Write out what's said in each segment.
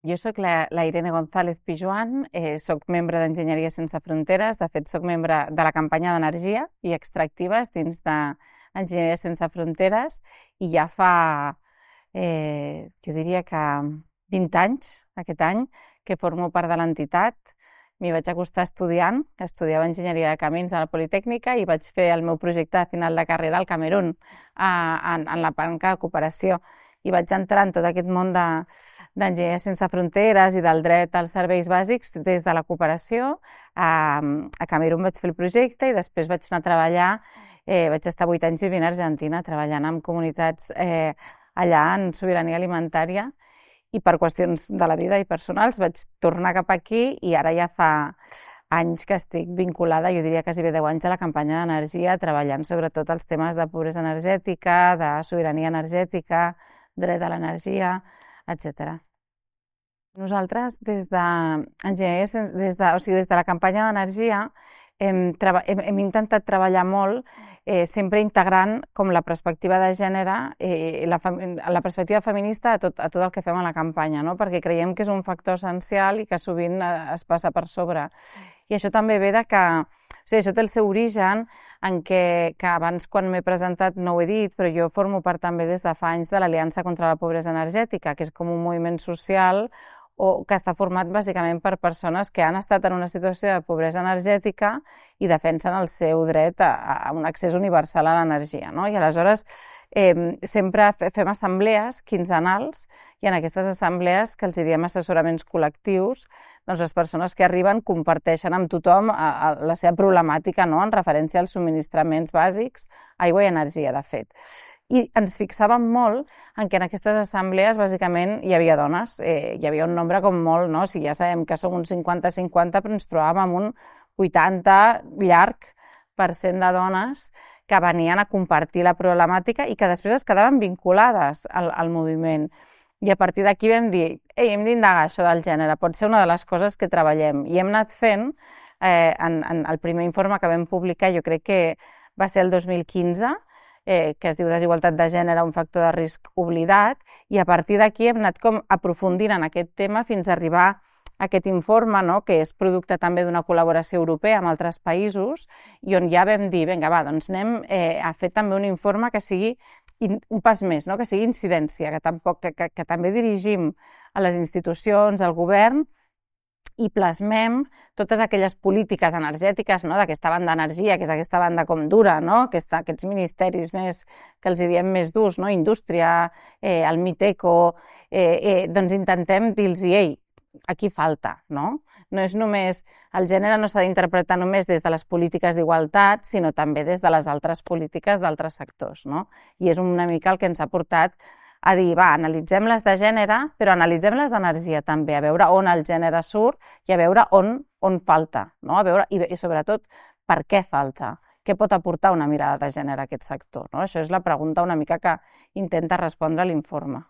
Jo soc la Irene González Pijuan, soc membre d'Enginyeria Sense Fronteres, de fet soc membre de la campanya d'energia i extractives dins d'Enginyeria Sense Fronteres i ja fa, jo diria que 20 anys, aquest any, que formo part de l'entitat. M'hi vaig acostar estudiant, estudiava Enginyeria de Camins a la Politècnica i vaig fer el meu projecte de final de carrera al Camerun, en la banca de cooperació. I vaig entrar en tot aquest món d'Enginyeria Sense Fronteres i del dret als serveis bàsics des de la cooperació. A Camerun vaig fer el projecte i després vaig anar a treballar, vaig estar 8 anys vivint a Argentina, treballant amb comunitats allà en sobirania alimentària, i per qüestions de la vida i personals vaig tornar cap aquí i ara ja fa anys que estic vinculada, jo diria quasi 10 anys, a la campanya d'energia, treballant sobretot els temes de pobresa energètica, de sobirania energètica, dret a l'energia, etc. Nosaltres, des de la campanya d'energia, hem intentat treballar molt, sempre integrant com la perspectiva de gènere, la perspectiva feminista a tot el que fem a la campanya, no? Perquè creiem que és un factor essencial i que sovint es passa per sobre. I això també ve de que, això té el seu origen en que abans, quan m'he presentat, no ho he dit, però jo formo part també des de fa anys de l'Aliança contra la Pobresa Energètica, que és com un moviment social que està format bàsicament per persones que han estat en una situació de pobresa energètica i defensen el seu dret a un accés universal a l'energia, no? I aleshores sempre fem assemblees quinzenals i en aquestes assemblees, que els diem assessoraments col·lectius, doncs les persones que arriben comparteixen amb tothom la seva problemàtica, no? En referència als subministraments bàsics, aigua i energia, de fet. I ens fixàvem molt en que en aquestes assemblees bàsicament hi havia dones, hi havia un nombre com molt, no? Si ja sabem que som un 50-50, però ens trobàvem amb un 80 llarg % de dones que venien a compartir la problemàtica i que després es quedaven vinculades al moviment. I a partir d'aquí vam dir, hem d'indagar això del gènere, pot ser una de les coses que treballem. I hem anat fent, en el primer informe que vam publicar, jo crec que va ser el 2015, que es diu Desigualtat de gènere, un factor de risc oblidat, i a partir d'aquí hem anat com aprofundint en aquest tema fins a arribar a aquest informe, no? Que és producte també d'una col·laboració europea amb altres països, i on ja vam dir, vinga, va, doncs anem a fer també un informe que sigui un pas més, no? Que sigui incidència, que també dirigim a les institucions, al govern, i plasmem totes aquelles polítiques energètiques, no? D'aquesta banda d'energia, que és aquesta banda com dura, no? Aquests ministeris més, que els diem més durs, no? Indústria, el MITECO, doncs intentem dir-los, ei, aquí falta, no? No és només, el gènere no s'ha d'interpretar només des de les polítiques d'igualtat, sinó també des de les altres polítiques d'altres sectors, no? I és una mica el que ens ha portat a dir, va, analitzem les de gènere, però analitzem les d'energia també, a veure on el gènere surt i a veure on falta, no? A veure, i sobretot, per què falta? Què pot aportar una mirada de gènere a aquest sector, no? Això és la pregunta una mica que intenta respondre l'informe.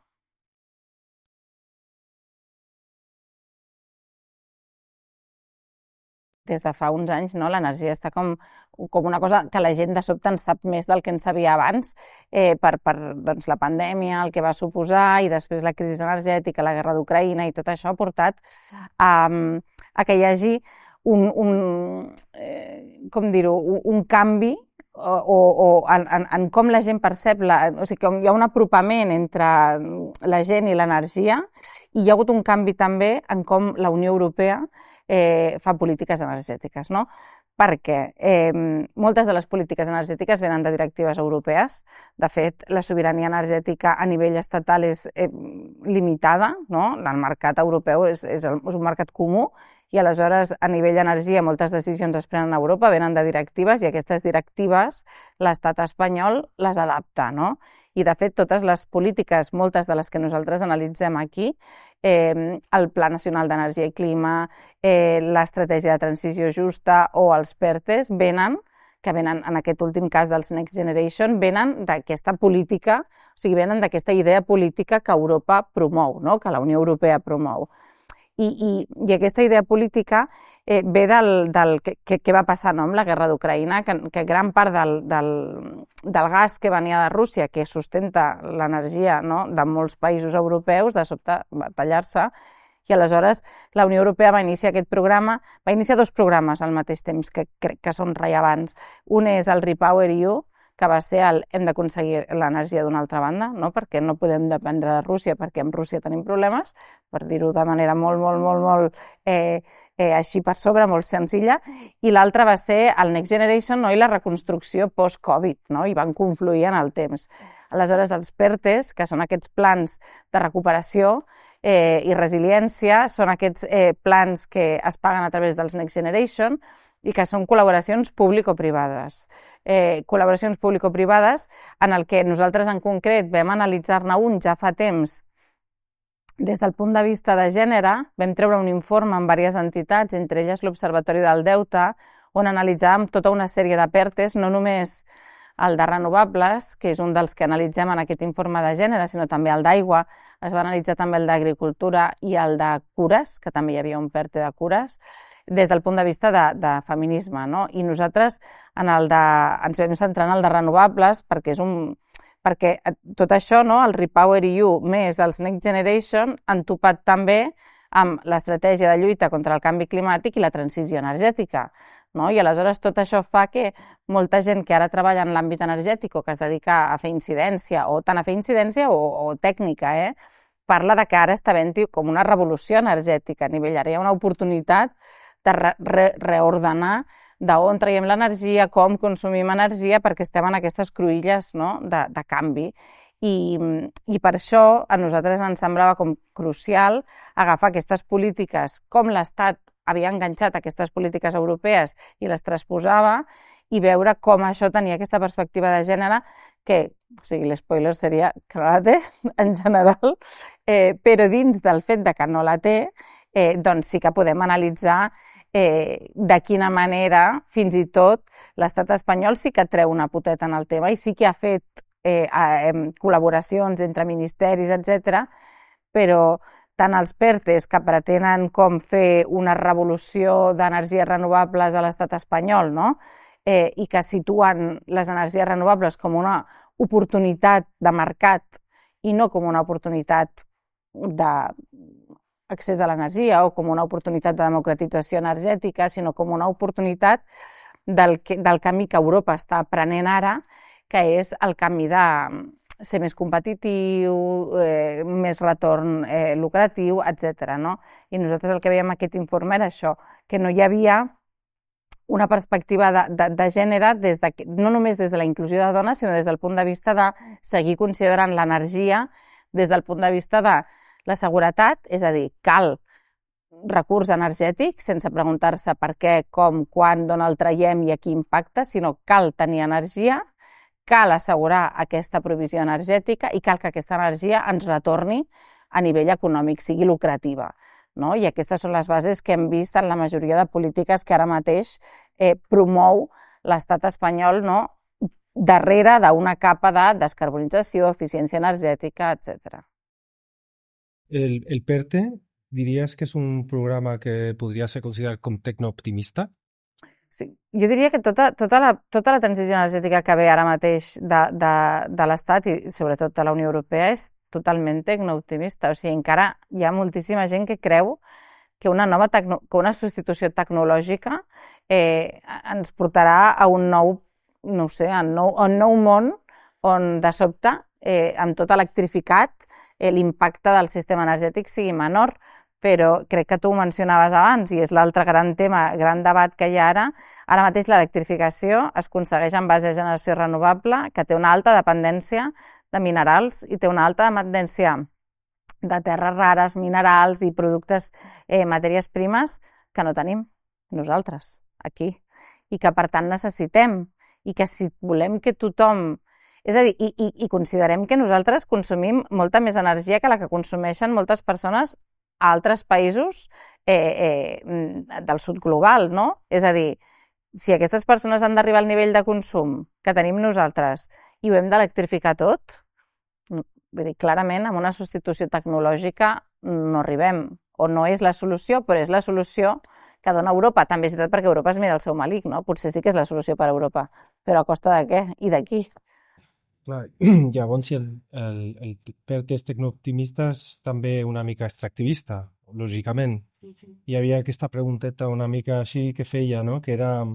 Des de fa uns anys, no? L'energia està com una cosa que la gent de sobte en sap més del que en sabia abans, per doncs, la pandèmia, el que va suposar, i després la crisi energètica, la guerra d'Ucraïna, i tot això ha portat a que hi hagi un canvi en com la gent percep, o sigui, que hi ha un apropament entre la gent i l'energia, i hi ha hagut un canvi també en com la Unió Europea fa polítiques energètiques, no? Perquè moltes de les polítiques energètiques venen de directives europees. De fet, la sobirania energètica a nivell estatal és limitada, no? El mercat europeu és un mercat comú, i aleshores a nivell d'energia moltes decisions es prenen a Europa, venen de directives, i aquestes directives l'estat espanyol les adapta, no? I de fet totes les polítiques, moltes de les que nosaltres analitzem aquí, el Pla Nacional d'Energia i Clima, l'Estratègia de Transició Justa o els PERTEs, venen en aquest últim cas dels Next Generation, venen d'aquesta política, o sigui, venen d'aquesta idea política que Europa promou, no? Que la Unió Europea promou. I aquesta idea política ve del que va passar, no? Amb la guerra d'Ucraïna, que gran part del gas que venia de Rússia, que sustenta l'energia, no? De molts països europeus, de sobte va tallar-se, I aleshores la Unió Europea va iniciar aquest programa, va iniciar 2 programes al mateix temps que crec que són rellevants. Un és el REPowerEU, que va ser el hem d'aconseguir l'energia d'una altra banda, no? Perquè no podem dependre de Rússia, perquè amb Rússia tenim problemes, per dir-ho de manera molt així per sobre, molt senzilla, i l'altre va ser el Next Generation, no? I la reconstrucció post-Covid, no? I van confluir en el temps. Aleshores, els PERTEs, que són aquests plans de recuperació i resiliència, són aquests plans que es paguen a través dels Next Generation i que són col·laboracions público-privades. Col·laboracions público-privades en el que nosaltres en concret vam analitzar-ne un ja fa temps des del punt de vista de gènere. Vam treure un informe amb diverses entitats, entre elles l'Observatori del Deute, on analitzàvem tota una sèrie de PERTEs, no només el de renovables, que és un dels que analitzem en aquest informe de gènere, sinó també el d'aigua, es va analitzar també el d'agricultura i el de cures, que també hi havia un PERTE de cures, des del punt de vista de feminisme, no? I nosaltres ens vam centrar en el de renovables perquè tot això, no? El REPowerEU més els Next Generation han topat també amb l'estratègia de lluita contra el canvi climàtic i la transició energètica. No? I aleshores tot això fa que molta gent que ara treballa en l'àmbit energètic o que es dedica a fer incidència, o tant a fer incidència o tècnica, parla de que ara està havent-hi com una revolució energètica a nivell. Ara hi ha una oportunitat de reordenar d'on traiem l'energia, com consumim energia, perquè estem en aquestes cruïlles, no? de canvi. I per això a nosaltres ens semblava com crucial agafar aquestes polítiques, com l'Estat havia enganxat aquestes polítiques europees i les transposava, i veure com això tenia aquesta perspectiva de gènere que, o sigui, l'espoiler seria que no la té, en general, però dins del fet de que no la té, doncs sí que podem analitzar de quina manera, fins i tot, l'estat espanyol sí que treu una poteta en el tema i sí que ha fet col·laboracions entre ministeris, etc., però tant els PERTEs, que pretenen com fer una revolució d'energies renovables a l'estat espanyol, no? I que situen les energies renovables com una oportunitat de mercat i no com una oportunitat d'accés a l'energia o com una oportunitat de democratització energètica, sinó com una oportunitat del camí que Europa està prenent ara, que és el camí de ser més competitiu, més retorn lucratiu, etc. No? I nosaltres el que veiem en aquest informe era això, que no hi havia una perspectiva de gènere no només des de la inclusió de dones, sinó des del punt de vista de seguir considerant l'energia des del punt de vista de la seguretat, és a dir, cal recurs energètic sense preguntar-se per què, com, quan, d'on el traiem i a qui impacta, sinó cal tenir energia, cal assegurar aquesta provisió energètica i cal que aquesta energia ens retorni a nivell econòmic, sigui lucrativa. No? I aquestes són les bases que hem vist en la majoria de polítiques que ara mateix promou l'estat espanyol, no? Darrere d'una capa de descarbonització, eficiència energètica, etc. El PERTE, diries que és un programa que podria ser considerat com tecnooptimista? Sí. Jo diria que tota la transició energètica que ve ara mateix de l'Estat i sobretot de la Unió Europea és totalment tecnooptimista. O sigui, encara hi ha moltíssima gent que creu que una substitució tecnològica ens portarà a un nou, no sé, a un nou món on de sobte, amb tot electrificat, l'impacte del sistema energètic sigui menor. Però crec que tu ho mencionaves abans i és l'altre gran tema, gran debat que hi ha ara. Ara mateix l'electrificació es aconsegueix en base a generació renovable, que té una alta dependència de minerals i té una alta dependència de terres rares, minerals i productes, matèries primes que no tenim nosaltres aquí i que per tant necessitem, i que si volem que tothom... És a dir, i considerem que nosaltres consumim molta més energia que la que consumeixen moltes persones a altres països del sud global, no? És a dir, si aquestes persones han d'arribar al nivell de consum que tenim nosaltres i ho hem d'electrificar tot, vull dir, clarament amb una substitució tecnològica no arribem, o no és la solució, però és la solució que dona Europa, també és tot perquè Europa es mira el seu malic, no? Potser sí que és la solució per a Europa, però a costa de què i de qui? Clar, llavors si el PERTE és tecnooptimista és també una mica extractivista, lògicament. Hi havia aquesta pregunteta una mica així que feia, no? Que era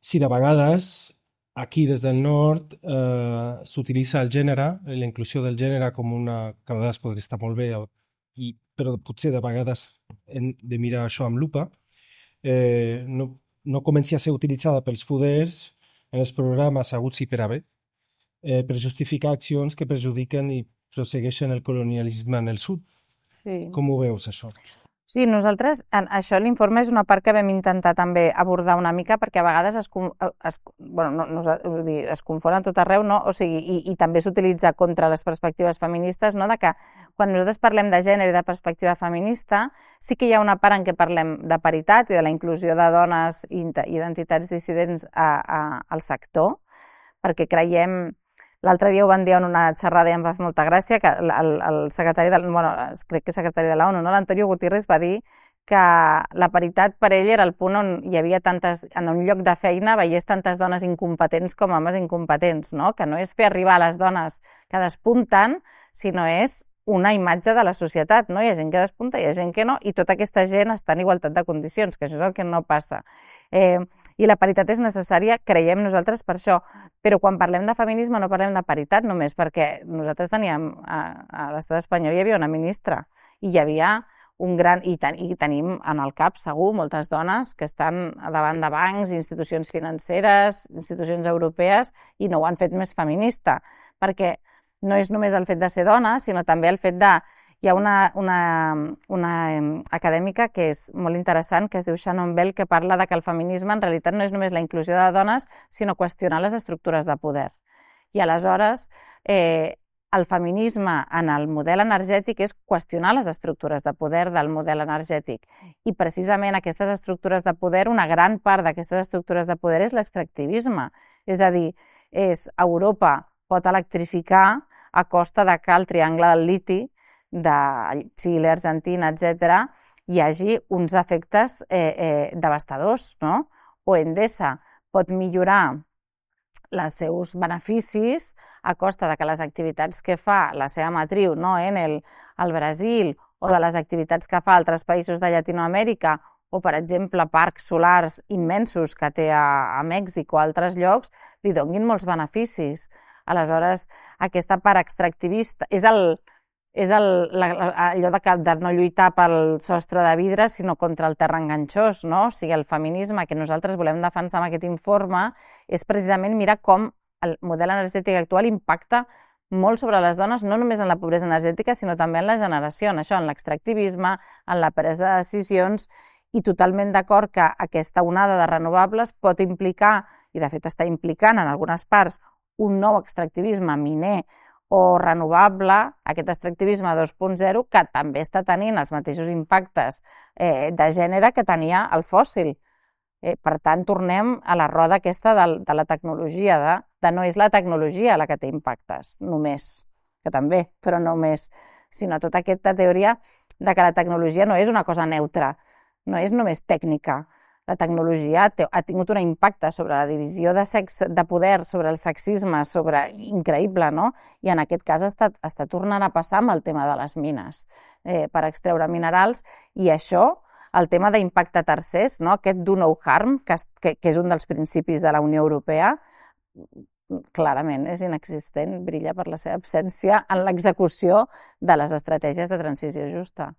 si de vegades aquí des del nord s'utilitza el gènere, la inclusió del gènere com una... que a vegades pot estar molt bé, però potser de vegades hem de mirar això amb lupa, no comenci a ser utilitzada pels poders en els programes aguts i per a bé, per justificar accions que perjudiquen i prossegueixen el colonialisme en el sud. Sí. Com ho veus, això? Sí, nosaltres, això l'informe és una part que vam intentar també abordar una mica perquè a vegades es confon a tot arreu, no? O sigui, i també s'utilitza contra les perspectives feministes, no? De que quan nosaltres parlem de gènere i de perspectiva feminista, sí que hi ha una part en què parlem de paritat i de la inclusió de dones i identitats dissidents al sector, perquè creiem... L'altre dia ho van dir en una xerrada i em va fer molta gràcia que el secretari crec que secretari de l'ONU, no? L'Antonio Guterres va dir que la paritat per ell era el punt on hi havia en un lloc de feina veiés tantes dones incompetents com homes incompetents, no? Que no és fer arribar a les dones que despunten, sinó és una imatge de la societat, no? Hi ha gent que despunta, hi ha gent que no, i tota aquesta gent està en igualtat de condicions, que això és el que no passa. I la paritat és necessària, creiem nosaltres, per això. Però quan parlem de feminisme no parlem de paritat només, perquè nosaltres teníem, a l'estat espanyol hi havia una ministra, i hi havia un gran... I tenim en el cap, segur, moltes dones que estan davant de bancs, institucions financeres, institucions europees, i no ho han fet més feminista, perquè no és només el fet de ser dona, sinó també el fet de... Hi ha una acadèmica que és molt interessant, que es diu Shannon Bell, que parla de que el feminisme en realitat no és només la inclusió de dones, sinó qüestionar les estructures de poder. I aleshores, el feminisme en el model energètic és qüestionar les estructures de poder del model energètic. I precisament aquestes estructures de poder, una gran part d'aquestes estructures de poder és l'extractivisme. És a dir, Europa pot electrificar a costa de que el triangle del liti de Xile, Argentina, etc., hi hagi uns efectes devastadors, no? O Endesa pot millorar els seus beneficis a costa de que les activitats que fa la seva matriu, no, Enel, al Brasil, o de les activitats que fa a altres països de Llatinoamèrica, o, per exemple, parcs solars immensos que té a Mèxic o a altres llocs, li donguin molts beneficis. Aleshores, aquesta part extractivista és allò de no lluitar pel sostre de vidre, sinó contra el terra enganxós, no? O sigui, el feminisme que nosaltres volem defensar amb aquest informe és precisament mirar com el model energètic actual impacta molt sobre les dones, no només en la pobresa energètica, sinó també en la generació, en això, en l'extractivisme, en la presa de decisions, i totalment d'acord que aquesta onada de renovables pot implicar, i de fet està implicant en algunes parts, un nou extractivisme miner o renovable, aquest extractivisme 2.0, que també està tenint els mateixos impactes de gènere que tenia el fòssil. Per tant, tornem a la roda aquesta de la tecnologia, de no és la tecnologia la que té impactes, només, que també, però no només, sinó tota aquesta teoria de que la tecnologia no és una cosa neutra, no és només tècnica. La tecnologia ha tingut un impacte sobre la divisió de poder, sobre el sexisme, increïble, no? I en aquest cas està tornant a passar amb el tema de les mines per extreure minerals, i això, el tema d'impacte tercers, no? Aquest do no harm, que és un dels principis de la Unió Europea, clarament és inexistent, brilla per la seva absència en l'execució de les estratègies de transició justa.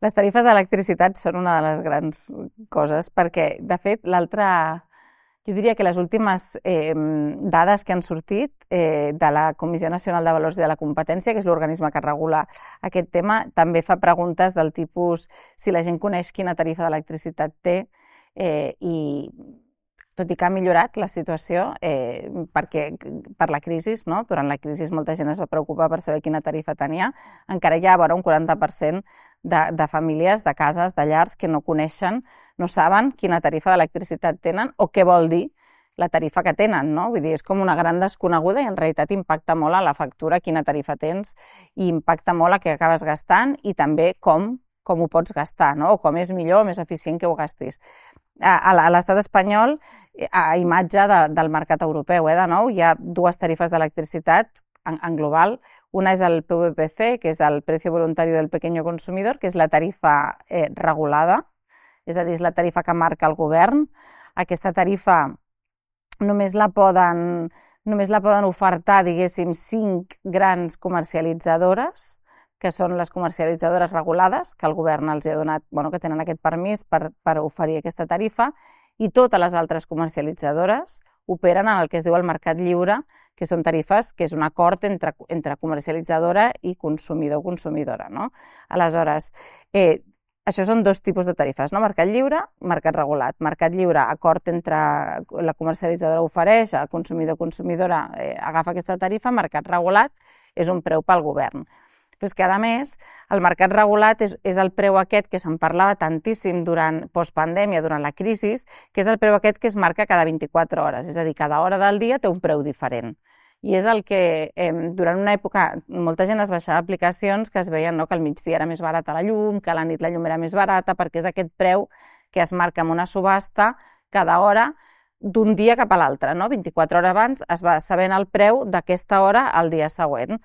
Les tarifes d'electricitat són una de les grans coses, perquè, de fet, jo diria que les últimes dades que han sortit de la Comissió Nacional de Valors i de la Competència, que és l'organisme que regula aquest tema, també fa preguntes del tipus si la gent coneix quina tarifa d'electricitat té, i tot i que ha millorat la situació per la crisi, no? Durant la crisi molta gent es va preocupar per saber quina tarifa tenia, encara hi ha vora un 40% de famílies, de cases, de llars que no coneixen, no saben quina tarifa d'electricitat tenen o què vol dir la tarifa que tenen, no? Vull dir, és com una gran desconeguda i en realitat impacta molt a la factura quina tarifa tens i impacta molt a què acabes gastant i també com ho pots gastar, no? O com és millor o més eficient que ho gastis. a l'estat espanyol, a imatge del mercat europeu, de nou, hi ha dues tarifes d'electricitat en global. Una és el PVPC, que és el Precio Voluntario del Pequeño Consumidor, que és la tarifa regulada, és a dir, és la tarifa que marca el govern. Aquesta tarifa només la poden ofertar, diguéssim, 5 grans comercialitzadores, que són les comercialitzadores regulades, que el govern els ha donat, que tenen aquest permís per oferir aquesta tarifa, i totes les altres comercialitzadores operen en el que es diu el mercat lliure, que són tarifes que és un acord entre comercialitzadora i consumidor o consumidora. Aleshores, això són dos tipus de tarifes, mercat lliure, mercat regulat. Mercat lliure, acord entre la comercialitzadora ofereix, el consumidor o consumidora agafa aquesta tarifa. Mercat regulat és un preu pel govern. Però és que, a més, el mercat regulat és el preu aquest que se'n parlava tantíssim durant postpandèmia, durant la crisi, que és el preu aquest que es marca cada 24 hores, és a dir, cada hora del dia té un preu diferent. I és el que durant una època molta gent es baixava aplicacions que es veien que al migdia era més barata la llum, que a la nit la llum era més barata, perquè és aquest preu que es marca en una subhasta cada hora d'un dia cap a l'altre. 24 hores abans es va sabent el preu d'aquesta hora al dia següent.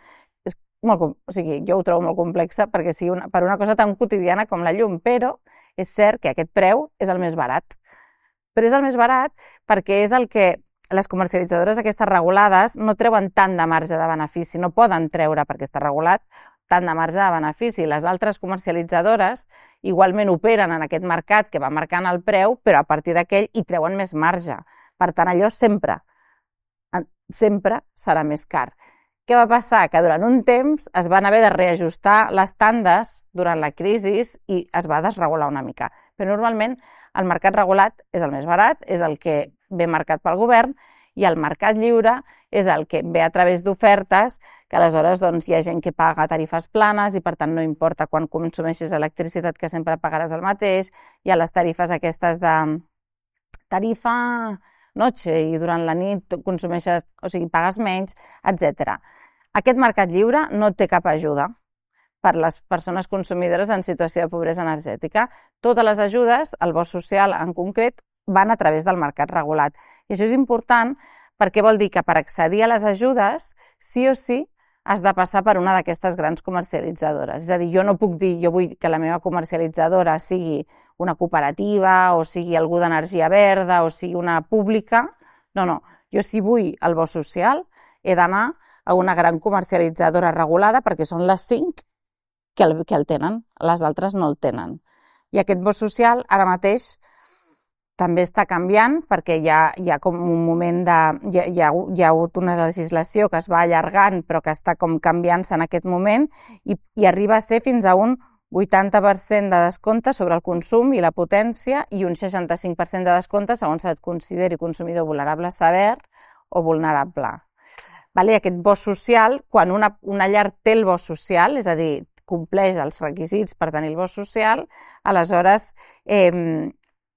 Jo ho trobo molt complexa perquè sigui per una cosa tan quotidiana com la llum, però és cert que aquest preu és el més barat. Però és el més barat perquè és el que les comercialitzadores aquestes regulades no treuen tant de marge de benefici, no poden treure, perquè està regulat, tant de marge de benefici. Les altres comercialitzadores igualment operen en aquest mercat que va marcant el preu, però a partir d'aquell hi treuen més marge. Per tant, allò sempre serà més car. Què va passar? Que durant un temps es van haver de reajustar les tandes durant la crisi i es va desregular una mica. Però normalment el mercat regulat és el més barat, és el que ve marcat pel govern, i el mercat lliure és el que ve a través d'ofertes, que aleshores hi ha gent que paga tarifes planes i per tant no importa quan consumeixis electricitat, que sempre pagaràs el mateix. Hi ha les tarifes aquestes de tarifa noche i durant la nit consumeixes, pagues menys, etc. Aquest mercat lliure no té cap ajuda per les persones consumidores en situació de pobresa energètica. Totes les ajudes, el bo social en concret, van a través del mercat regulat. I això és important perquè vol dir que per accedir a les ajudes, sí o sí, has de passar per una d'aquestes grans comercialitzadores. És a dir, jo no puc dir, jo vull que la meva comercialitzadora sigui una cooperativa o sigui algú d'energia verda o sigui una pública. No. Jo si vull el bo social he d'anar a una gran comercialitzadora regulada perquè són les 5 que el tenen, les altres no el tenen. I aquest bo social ara mateix també està canviant perquè hi ha com un moment hi ha hagut una legislació que es va allargant però que està com canviant-se en aquest moment i arriba a ser fins a un 80% de descompte sobre el consum i la potència i un 65% de descompte segons et consideri consumidor vulnerable sever o vulnerable. I aquest bo social, quan una llar té el bo social, és a dir, compleix els requisits per tenir el bo social, aleshores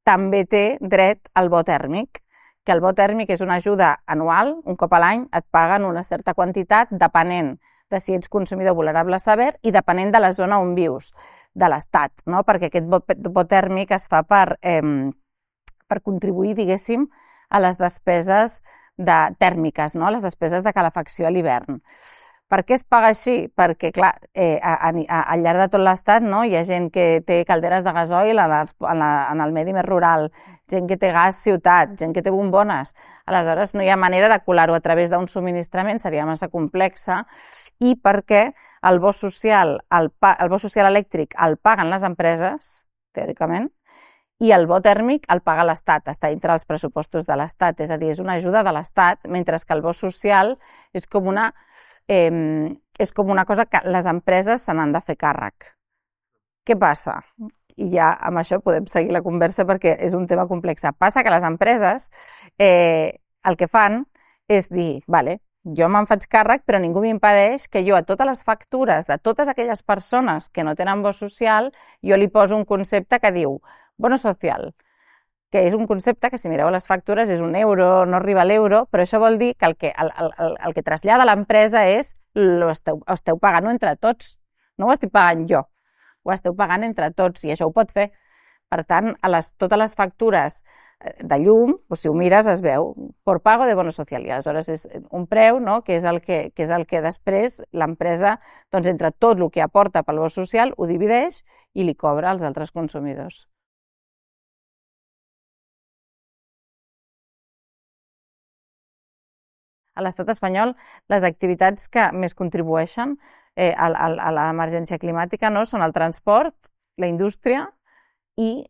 també té dret al bo tèrmic, que el bo tèrmic és una ajuda anual, un cop a l'any et paguen una certa quantitat depenent de si ets consumidor vulnerable sever i depenent de la zona on vius, de l'estat, perquè aquest bo tèrmic es fa per contribuir, diguéssim, a les despeses tèrmiques, les despeses de calefacció a l'hivern. Per què es paga així? Perquè, clar, al llarg de tot l'estat hi ha gent que té calderes de gasoil en el medi més rural, gent que té gas ciutat, gent que té bombones. Aleshores, no hi ha manera de colar-ho a través d'un subministrament, seria massa complexa, i perquè el bo social elèctric el paguen les empreses, teòricament, i el bo tèrmic el paga l'Estat, està dintre dels pressupostos de l'Estat, és a dir, és una ajuda de l'Estat, mentre que el bo social és com una cosa que les empreses se n'han de fer càrrec. Què passa? I ja amb això podem seguir la conversa perquè és un tema complex. Passa que les empreses el que fan és dir, vale, jo me'n faig càrrec però ningú m'impedeix que jo a totes les factures de totes aquelles persones que no tenen bo social jo li poso un concepte que diu bono social, que és un concepte que si mireu les factures és €1, no arriba a l'euro, però això vol dir que el que trasllada l'empresa és ho esteu pagant entre tots, no ho estic pagant jo, ho esteu pagant entre tots i això ho pot fer Per tant, totes les factures de llum, si ho mires es veu por pago de bono social, i aleshores és un preu, no?, que és el que després l'empresa, doncs, entre tot el que aporta pel bo social, ho divideix i li cobra als altres consumidors. A l'estat espanyol, les activitats que més contribueixen a l'emergència climàtica, no, són el transport, la indústria i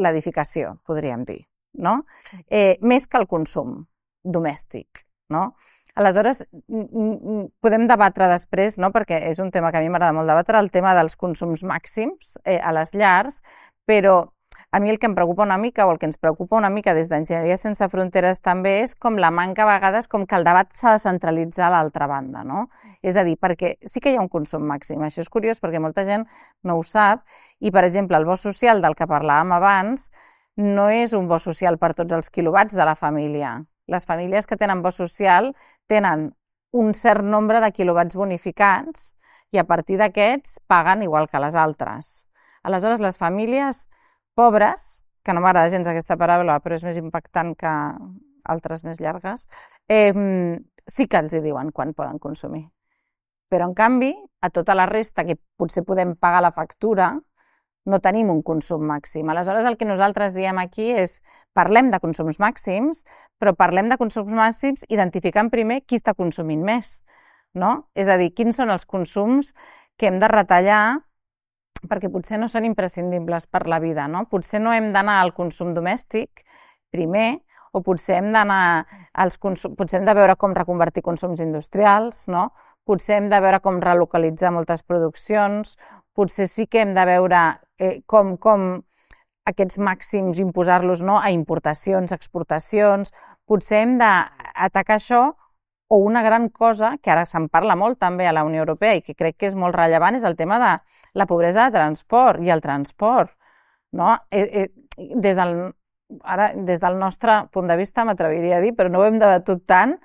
l'edificació, podríem dir, no? Més que el consum domèstic, no? Aleshores, podem debatre després, no?, perquè és un tema que a mi m'agrada molt debatre, el tema dels consums màxims a les llars, però a mi el que em preocupa una mica, o el que ens preocupa una mica des d'Enginyeria Sense Fronteres també, és com la manca a vegades com que el debat s'ha de centralitzar a l'altra banda, no? És a dir, perquè sí que hi ha un consum màxim. Això és curiós perquè molta gent no ho sap i, per exemple, el bo social del que parlàvem abans no és un bo social per tots els quilowatts de la família. Les famílies que tenen bo social tenen un cert nombre de quilowatts bonificats i a partir d'aquests paguen igual que les altres. Aleshores, les famílies pobres, que no m'agrada gens aquesta paraula, però és més impactant que altres més llargues, sí que els hi diuen quan poden consumir. Però, en canvi, a tota la resta, que potser podem pagar la factura, no tenim un consum màxim. Aleshores, el que nosaltres diem aquí és parlem de consums màxims, però parlem de consums màxims identificant primer qui està consumint més, no? És a dir, quins són els consums que hem de retallar perquè potser no són imprescindibles per la vida, no? Potser no hem d'anar al consum domèstic primer, o potser hem de veure com reconvertir consums industrials, no? Potser hem de veure com relocalitzar moltes produccions, potser sí que hem de veure com aquests màxims imposar-los, no?, a importacions, exportacions, potser hem d'atacar això. O una gran cosa, que ara se'n parla molt també a la Unió Europea i que crec que és molt rellevant, és el tema de la pobresa de transport i el transport, no? Des del nostre punt de vista, m'atreviria a dir, però no ho hem debatut tant,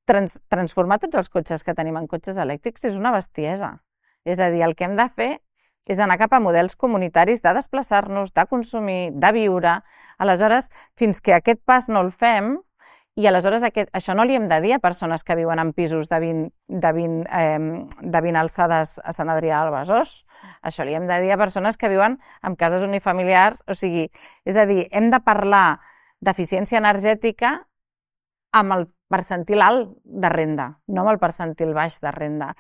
transformar tots els cotxes que tenim en cotxes elèctrics és una bestiesa. És a dir, el que hem de fer és anar cap a models comunitaris de desplaçar-nos, de consumir, de viure. Aleshores, fins que aquest pas no el fem, i aleshores això no li hem de dir a persones que viuen en pisos de 20 alçades a Sant Adrià del Besòs. Això li hem de dir a persones que viuen en cases unifamiliars. O sigui, és a dir, hem de parlar d'eficiència energètica amb el percentil alt de renda, no amb el percentil baix de renda.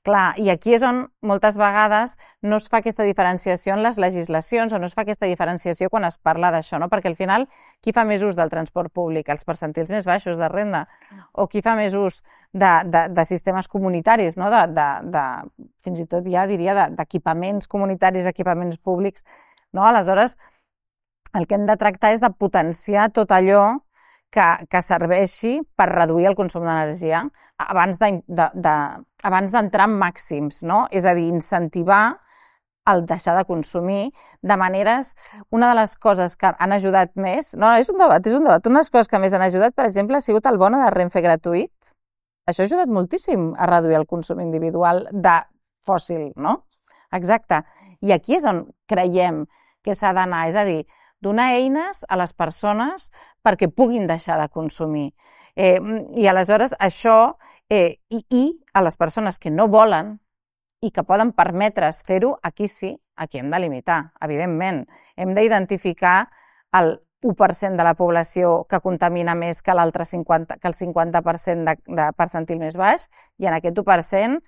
Clar, i aquí és on moltes vegades no es fa aquesta diferenciació en les legislacions o no es fa aquesta diferenciació quan es parla d'això, no? Perquè al final, qui fa més ús del transport públic? Els percentils més baixos de renda? O qui fa més ús de sistemes comunitaris, no? Fins i tot ja diria d'equipaments comunitaris, equipaments públics, no? Aleshores, el que hem de tractar és de potenciar tot allò que serveixi per reduir el consum d'energia abans d'entrar en màxims, no? És a dir, incentivar el deixar de consumir de maneres... Una de les coses que han ajudat més... No, és un debat. Una de les coses que més han ajudat, per exemple, ha sigut el bono de Renfe gratuït. Això ha ajudat moltíssim a reduir el consum individual de fòssil, no? Exacte. I aquí és on creiem que s'ha d'anar, és a dir, donar eines a les persones perquè puguin deixar de consumir. I aleshores això, i a les persones que no volen i que poden permetre's fer-ho, aquí sí, aquí hem de limitar, evidentment. Hem d'identificar el 1% de la població que contamina més que el 50% de percentil més baix, i en aquest 1%,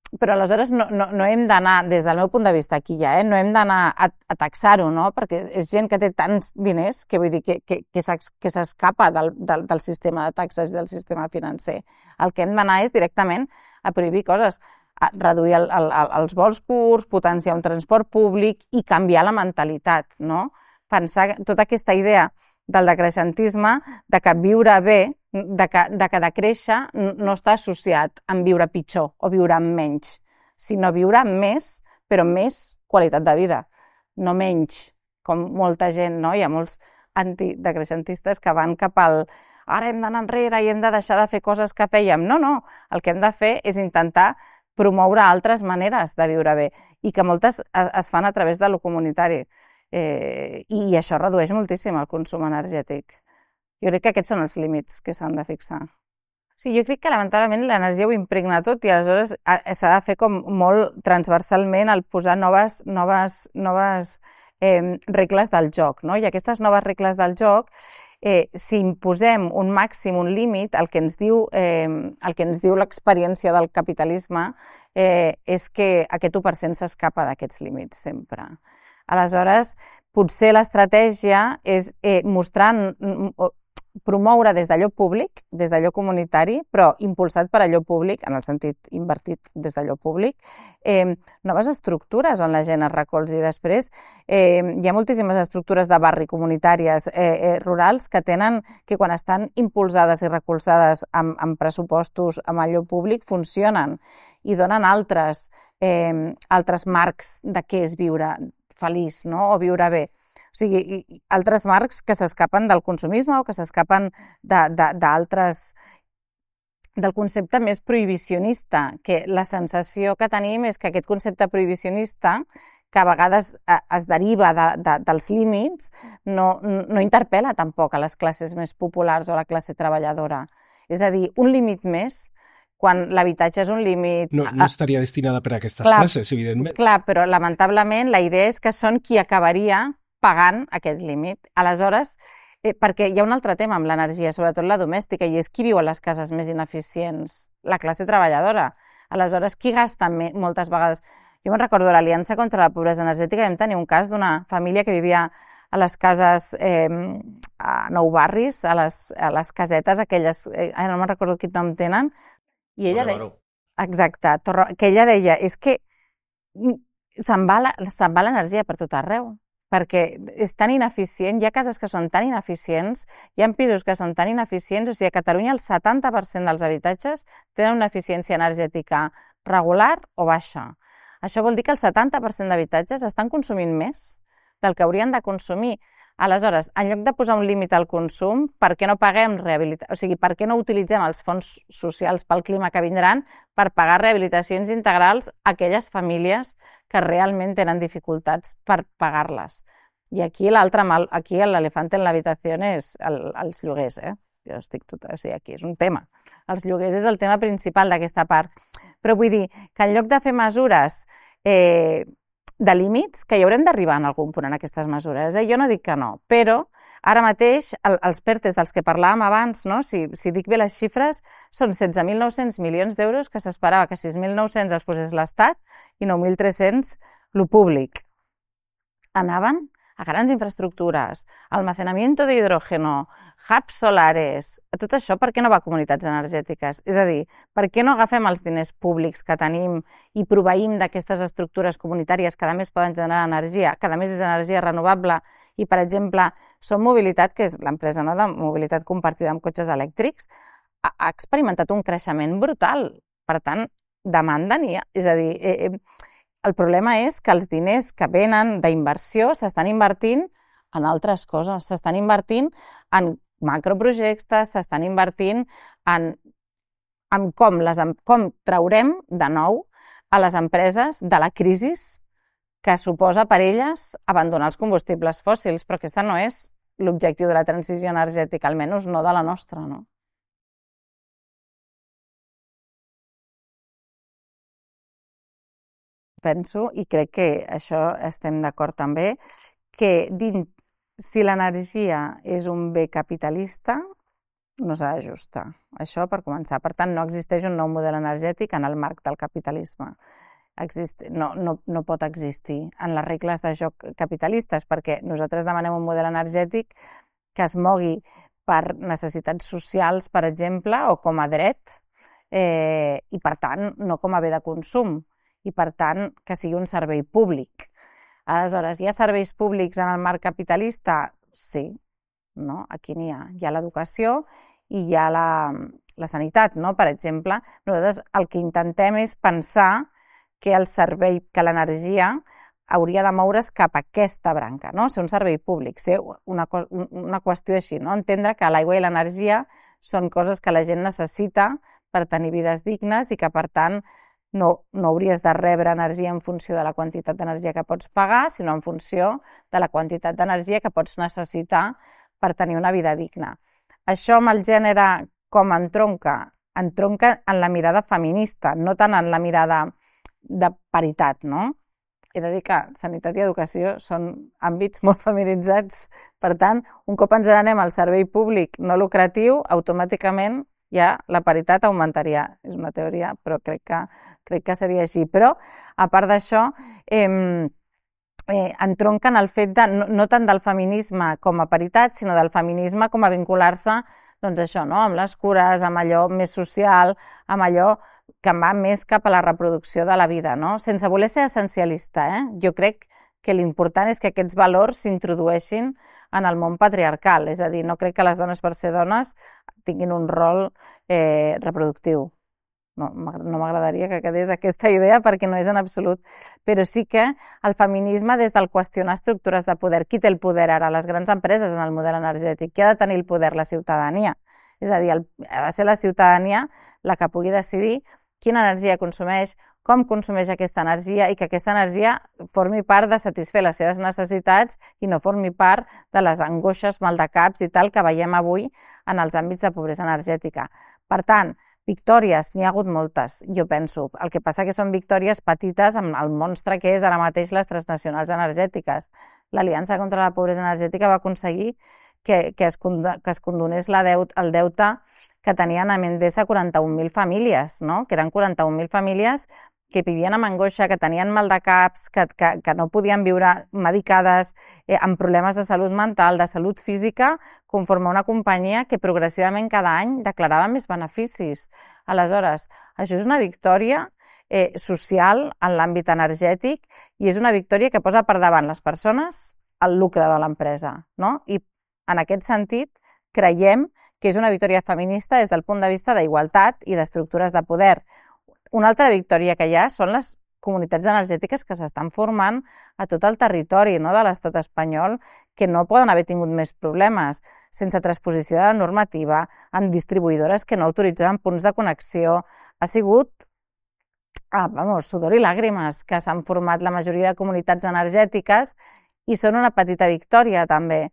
però aleshores no hem d'anar, des del meu punt de vista aquí ja, no hem d'anar a taxar-ho, no? Perquè és gent que té tants diners que vull dir que s'escapa del sistema de taxes i del sistema financer. El que hem d'anar és directament a prohibir coses, a reduir els vols curts, potenciar un transport públic i canviar la mentalitat, no? Pensar tota aquesta idea del decreixentisme, de que viure bé, de que decréixer no està associat amb viure pitjor o viure amb menys, sinó viure amb més, però amb més qualitat de vida, no menys, com molta gent, no? Hi ha molts antidecreixentistes que van cap al ara hem d'anar enrere i hem de deixar de fer coses que fèiem. No, el que hem de fer és intentar promoure altres maneres de viure bé i que moltes es fan a través de lo comunitari. I això redueix moltíssim el consum energètic. Jo crec que aquests són els límits que s'han de fixar. Sí, jo crec que lamentablement l'energia ho impregna tot i aleshores s'ha de fer com molt transversalment el posar noves regles del joc, no? I aquestes noves regles del joc, si imposem un màxim, un límit, el que ens diu l'experiència del capitalisme és que aquest 1% s'escapa d'aquests límits sempre. Aleshores, potser l'estratègia és promoure des d'allò públic, des d'allò comunitari, però impulsat per allò públic, en el sentit invertit des d'allò públic, noves estructures on la gent es recolzi. Després hi ha moltíssimes estructures de barri comunitàries rurals que quan estan impulsades i recolzades amb pressupostos amb allò públic funcionen i donen altres marcs de què és viure feliç, no? O viure bé. O sigui, altres marcs que s'escapen del consumisme o que s'escapen del concepte més prohibicionista, que la sensació que tenim és que aquest concepte prohibicionista, que a vegades es deriva dels límits, no interpel·la tampoc a les classes més populars o a la classe treballadora. És a dir, un límit més, quan l'habitatge és un límit... No estaria destinada per a aquestes classes, evidentment. Clar, però lamentablement la idea és que són qui acabaria pagant aquest límit. Aleshores, perquè hi ha un altre tema amb l'energia, sobretot la domèstica, i és qui viu a les cases més ineficients? La classe treballadora. Aleshores, qui gasta moltes vegades? Jo me'n recordo de l'Aliança contra la Pobresa Energètica, vam tenir un cas d'una família que vivia a les cases a Nou Barris, a les casetes aquelles, no me'n recordo quin nom tenen, i ella deia... Exacte, que ella deia, és que se'n va l'energia per tot arreu, perquè és tan ineficient, hi ha cases que són tan ineficients, hi ha pisos que són tan ineficients, o sigui, a Catalunya el 70% dels habitatges tenen una eficiència energètica regular o baixa. Això vol dir que el 70% d'habitatges estan consumint més del que haurien de consumir. Aleshores, en lloc de posar un límit al consum, per què no paguem rehabilitació? O sigui, per què no utilitzem els fons socials pel clima que vindran per pagar rehabilitacions integrals a aquelles famílies que realment tenen dificultats per pagar-les? I aquí l'elefant en l'habitació és els lloguers, Jo estic o sigui, aquí és un tema. Els lloguers és el tema principal d'aquesta part. Però vull dir que en lloc de fer mesures de límits, que hi haurem d'arribar en algun punt en aquestes mesures. Jo no dic que no, però ara mateix els PERTEs dels que parlàvem abans, no? Si dic bé les xifres, són 16.900 milions d'euros que s'esperava que 6.900 els posés l'Estat i 9.300 lo públic. Anaven a grans infraestructures, almacenamiento de hidrógeno, hubs solares, tot això per què no va a comunitats energètiques? És a dir, per què no agafem els diners públics que tenim i proveïm d'aquestes estructures comunitàries que a més poden generar energia, que a més és energia renovable i, per exemple, Som Mobilitat, que és l'empresa de mobilitat compartida amb cotxes elèctrics, ha experimentat un creixement brutal. Per tant, demanda n'hi ha. És a dir, el problema és que els diners que venen d'inversió s'estan invertint en altres coses, s'estan invertint en macroprojectes, s'estan invertint en com traurem de nou a les empreses de la crisi que suposa per elles abandonar els combustibles fòssils, però aquest no és l'objectiu de la transició energètica, almenys no de la nostra, no? Penso, i crec que això estem d'acord també, que si l'energia és un bé capitalista, no serà justa. Això per començar. Per tant, no existeix un nou model energètic en el marc del capitalisme. No pot existir en les regles de joc capitalistes, perquè nosaltres demanem un model energètic que es mogui per necessitats socials, per exemple, o com a dret, i per tant no com a bé de consum, i per tant que sigui un servei públic. Aleshores, hi ha serveis públics en el marc capitalista? Sí, no? Aquí n'hi ha. Hi ha l'educació i hi ha la sanitat, no? Per exemple, nosaltres el que intentem és pensar que el servei, que l'energia hauria de moure's cap a aquesta branca, no? Ser un servei públic, ser una qüestió així, no? Entendre que l'aigua i l'energia són coses que la gent necessita per tenir vides dignes i que, per tant, no hauries de rebre energia en funció de la quantitat d'energia que pots pagar, sinó en funció de la quantitat d'energia que pots necessitar per tenir una vida digna. Això amb el gènere com entronca en la mirada feminista, no tant en la mirada de paritat, no? He de dir que sanitat i educació són àmbits molt feminitzats, per tant, un cop ens n'anem al servei públic no lucratiu, automàticament ja la paritat augmentaria. És una teoria, però crec que seria així. Però, a part d'això, entronquen el fet de, no tant del feminisme com a paritat, sinó del feminisme com a vincular-se, doncs això, no? Amb les cures, amb allò més social, amb allò que va més cap a la reproducció de la vida, no? Sense voler ser essencialista, Jo crec que l'important és que aquests valors s'introdueixin en el món patriarcal, és a dir, no crec que les dones per ser dones tinguin un rol reproductiu. No m'agradaria que quedés aquesta idea perquè no és en absolut, però sí que el feminisme des del qüestionar estructures de poder, qui té el poder ara? Les grans empreses en el model energètic, qui ha de tenir el poder? La ciutadania. És a dir, ha de ser la ciutadania la que pugui decidir quina energia consumeix, com consumeix aquesta energia i que aquesta energia formi part de satisfer les seves necessitats i no formi part de les angoixes, maldecaps i tal que veiem avui en els àmbits de pobresa energètica. Per tant, victòries, n'hi ha hagut moltes, jo penso. El que passa que són victòries petites amb el monstre que és ara mateix les transnacionals energètiques. L'Aliança contra la Pobresa Energètica va aconseguir que es condonés el deute que tenien a Endesa 41.000 famílies, no? Que eren 41.000 famílies que vivien amb angoixa, que tenien mal de caps, que no podien viure medicades, amb problemes de salut mental, de salut física, conforme una companyia que progressivament cada any declarava més beneficis. Aleshores, això és una victòria social en l'àmbit energètic i és una victòria que posa per davant les persones el lucre de l'empresa, no? I en aquest sentit creiem que és una victòria feminista des del punt de vista d'igualtat i d'estructures de poder. Una altra victòria que hi ha són les comunitats energètiques que s'estan formant a tot el territori, no, de l'estat espanyol, que no poden haver tingut més problemes, sense transposició de la normativa, amb distribuïdores que no autoritzaven punts de connexió. Ha sigut sudor i làgrimes que s'han format la majoria de comunitats energètiques i són una petita victòria també.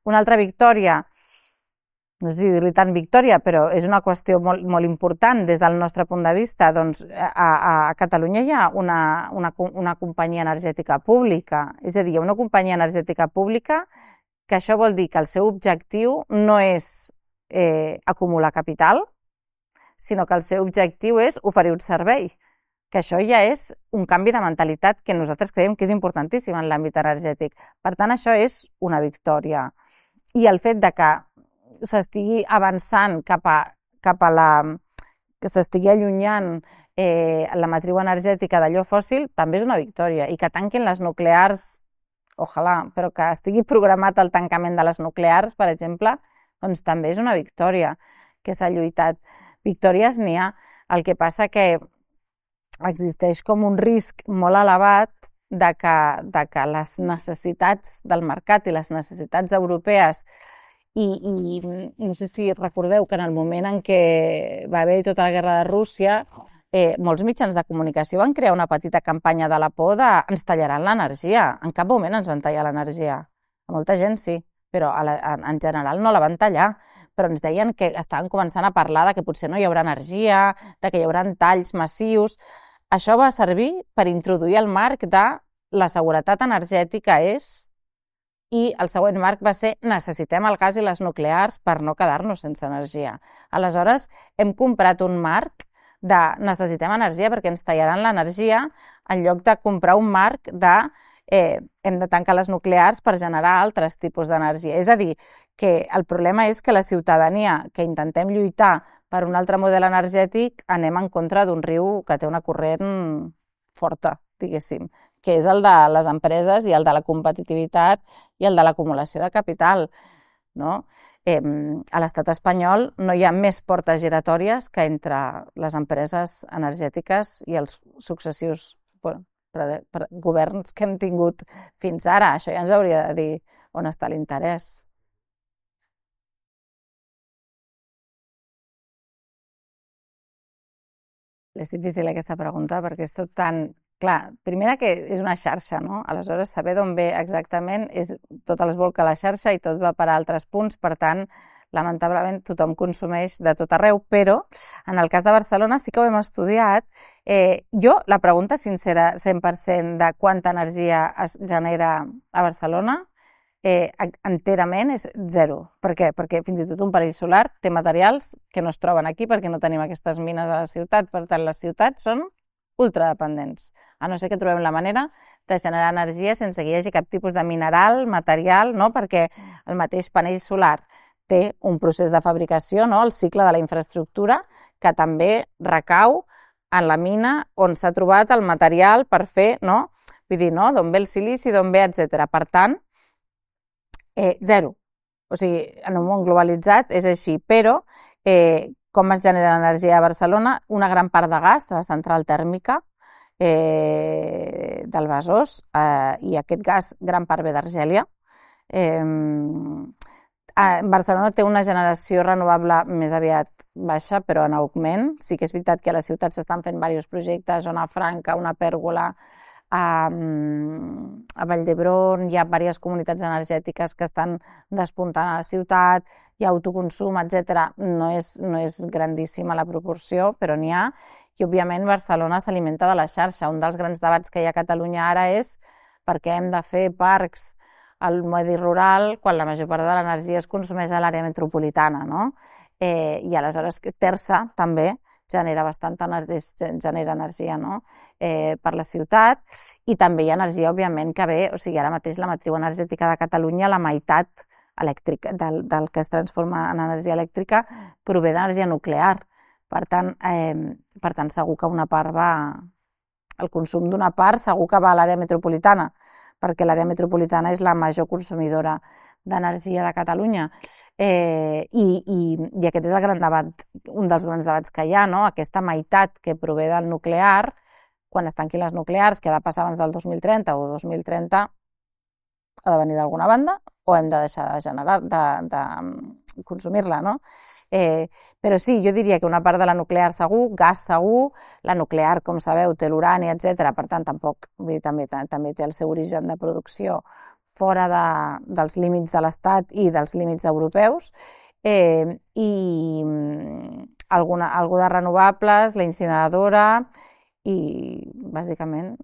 Una altra victòria, no sé si dir-li tant victòria, però és una qüestió molt important des del nostre punt de vista. Doncs a Catalunya hi ha una companyia energètica pública, és a dir, una companyia energètica pública que això vol dir que el seu objectiu no és acumular capital, sinó que el seu objectiu és oferir un servei, que això ja és un canvi de mentalitat que nosaltres creiem que és importantíssim en l'àmbit energètic. Per tant, això és una victòria. I el fet de que s'estigui avançant cap a que s'estigui allunyant la matriu energètica d'allò fòssil també és una victòria. I que tanquin les nuclears, ojalà, però que estigui programat el tancament de les nuclears, per exemple, doncs també és una victòria que s'ha lluitat. Victòries n'hi ha. El que passa que existeix com un risc molt elevat de que les necessitats del mercat i les necessitats europees i no sé si recordeu que en el moment en què va haver tota la guerra de Rússia, molts mitjans de comunicació van crear una petita campanya de la por de ens tallaran l'energia. En cap moment ens van tallar l'energia. A molta gent sí, però en general no la van tallar. Però ens deien que estaven començant a parlar de que potser no hi haurà energia, de que hi haurà talls massius. Això va servir per introduir el marc de la seguretat energètica i el següent marc va ser necessitem el gas i les nuclears per no quedar-nos sense energia. Aleshores, hem comprat un marc de necessitem energia perquè ens tallaran l'energia en lloc de comprar un marc de hem de tancar les nuclears per generar altres tipus d'energia. És a dir, que el problema és que la ciutadania que intentem lluitar per un altre model energètic anem en contra d'un riu que té una corrent forta, diguéssim, que és el de les empreses i el de la competitivitat i el de l'acumulació de capital, no? A l'estat espanyol no hi ha més portes giratòries que entre les empreses energètiques i els successius governs que hem tingut fins ara. Això ja ens hauria de dir on està l'interès. És difícil aquesta pregunta perquè és tot tan... Clar, primera que és una xarxa, no? Aleshores, saber d'on ve exactament és tot es volca a la xarxa i tot va per a altres punts, per tant, lamentablement tothom consumeix de tot arreu, però en el cas de Barcelona sí que ho hem estudiat. Jo, la pregunta sincera, 100% de quanta energia es genera a Barcelona, enterament és zero. Per què? Perquè fins i tot un panell solar té materials que no es troben aquí perquè no tenim aquestes mines a la ciutat. Per tant, les ciutats són ultradependents, a no ser que trobem la manera de generar energia sense que hi hagi cap tipus de mineral, material, no? Perquè el mateix panell solar té un procés de fabricació, no? El cicle de la infraestructura, que també recau en la mina on s'ha trobat el material per fer, no? Vull dir, no? D'on ve el silici, d'on ve, etc. Per tant, zero. O sigui, en un món globalitzat és així, però com es genera l'energia a Barcelona? Una gran part de gas de la central tèrmica del Besòs, i aquest gas gran part ve d'Argèlia. Barcelona té una generació renovable més aviat baixa, però en augment. Sí que és veritat que a la ciutat s'estan fent diversos projectes, Zona Franca, una pèrgola, a Vall d'Hebron, hi ha diverses comunitats energètiques que estan despuntant a la ciutat, hi ha autoconsum, etc. No és grandíssima la proporció, però n'hi ha, i òbviament Barcelona s'alimenta de la xarxa. Un dels grans debats que hi ha a Catalunya ara és per què hem de fer parcs al medi rural quan la major part de l'energia es consumeix a l'àrea metropolitana, no? I aleshores Tersa també genera energia, no? Per la ciutat, i també hi ha energia, òbviament, que ve, o sigui, ara mateix la matriu energètica de Catalunya, la meitat elèctrica del que es transforma en energia elèctrica prové d'energia nuclear. Per tant, segur que una part va... El consum d'una part segur que va a l'àrea metropolitana, perquè l'àrea metropolitana és la major consumidora d'energia de Catalunya. I aquest és el gran debat, un dels grans debats que hi ha, no? Aquesta meitat que prové del nuclear, quan es tanquin les nuclears, que ha de passar abans del 2030 o 2030, ha de venir d'alguna banda o hem de deixar de consumir-la, no? Però sí, jo diria que una part de la nuclear segur, gas segur, la nuclear, com sabeu, té l'urani, etc. Per tant, tampoc, vull dir, també té el seu origen de producció fora dels límits de l'Estat i dels límits europeus, i algú de renovables, la incineradora, i bàsicament,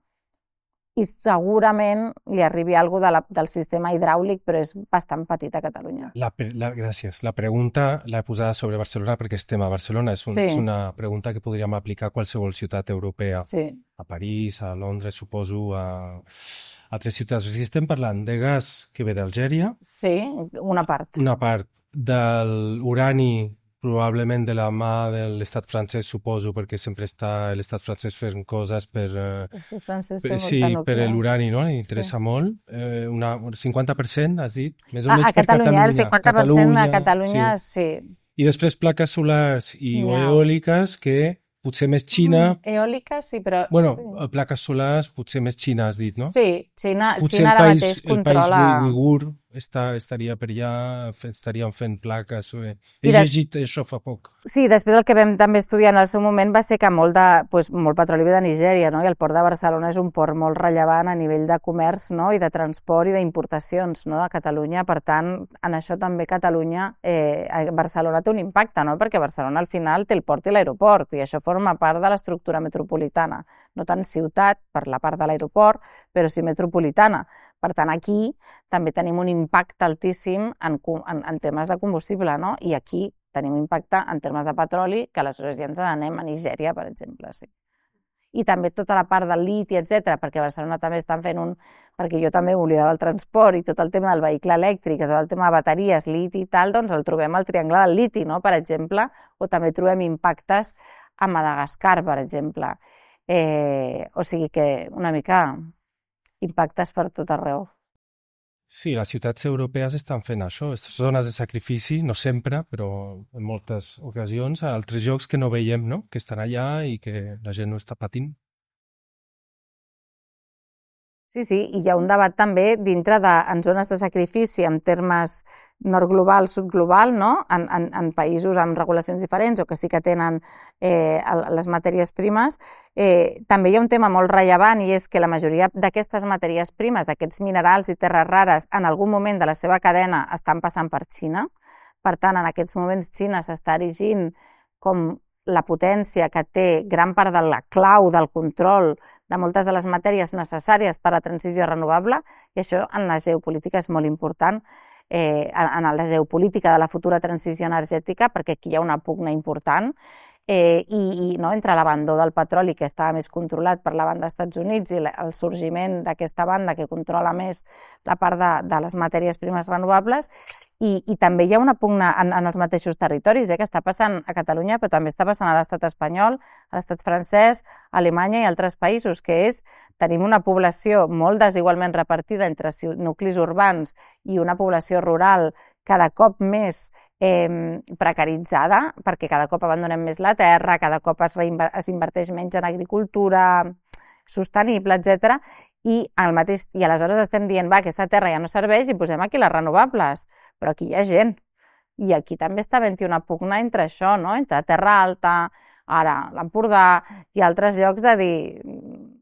i segurament li arribi alguna cosa del sistema hidràulic, però és bastant petit a Catalunya. Gràcies. La pregunta l'he posada sobre Barcelona perquè estem a Barcelona. És una pregunta que podríem aplicar a qualsevol ciutat europea. Sí. A París, a Londres, suposo, a altres ciutats. O sigui, estem parlant de gas que ve d'Algèria. Sí, una part. Una part de l'urani, probablement de la mà de l'estat francès, suposo, perquè sempre està l'estat francès fent coses per... L'estat francès té molta nuclear. Per l'urani, no? Li interessa molt. Un 50%, has dit? Més o A menys Catalunya, el 50% a Catalunya, sí. I després plaques solars i eòliques que potser més Xina... Eòliques, sí, però... Bueno, plaques solars, potser més Xina, has dit, no? Sí, Xina ara mateix controla... El país uigur estaria per allà, estarien fent plaques. He llegit això fa poc. Sí, després el que vam també estudiar en el seu moment va ser que molt petroli ve de Nigèria, no? I el port de Barcelona és un port molt rellevant a nivell de comerç, no? I de transport i d'importacions, no? De Catalunya. Per tant, en això també Catalunya, Barcelona té un impacte, no? Perquè Barcelona al final té el port i l'aeroport, i això forma part de l'estructura metropolitana. No tant ciutat per la part de l'aeroport, però sí metropolitana. Per tant, aquí també tenim un impacte altíssim en temes de combustible, no? I aquí tenim impacte en termes de petroli, que aleshores ja ens n'anem a Nigèria, per exemple. Sí. I també tota la part del liti, etc., perquè a Barcelona també estan fent perquè jo també m'oblidava el transport i tot el tema del vehicle elèctric, tot el tema de bateries, liti i tal, doncs el trobem al triangle del liti, no? Per exemple, o també trobem impactes a Madagascar, per exemple. O sigui que una mica impactes per tot arreu. Sí, les ciutats europees estan fent això, zones de sacrifici, no sempre, però en moltes ocasions, a altres llocs que no veiem, no? Que estan allà i que la gent no està patint. Sí, i hi ha un debat també dintre en zones de sacrifici en termes nord global, sud global, no? En països amb regulacions diferents o que sí que tenen les matèries primes. També hi ha un tema molt rellevant i és que la majoria d'aquestes matèries primes, d'aquests minerals i terres rares, en algun moment de la seva cadena estan passant per Xina. Per tant, en aquests moments Xina s'està erigint com la potència que té gran part de la clau del control de moltes de les matèries necessàries per a la transició renovable, i això en la geopolítica és molt important, en la geopolítica de la futura transició energètica, perquè aquí hi ha una pugna important entre l'abandó del petroli, que estava més controlat per la banda dels Estats Units, i el sorgiment d'aquesta banda que controla més la part de les matèries primes renovables, i també hi ha una pugna en els mateixos territoris, que està passant a Catalunya, però també està passant a l'estat espanyol, a l'estat francès, a Alemanya i altres països, que és, tenim una població molt desigualment repartida entre nuclis urbans i una població rural cada cop més precaritzada, perquè cada cop abandonem més la terra, cada cop es inverteix menys en agricultura sostenible, etc. I aleshores estem dient, va, aquesta terra ja no serveix i posem aquí les renovables, però aquí hi ha gent. I aquí també està havent-hi una pugna entre això, no? Entre Terra Alta, ara l'Empordà i altres llocs de dir,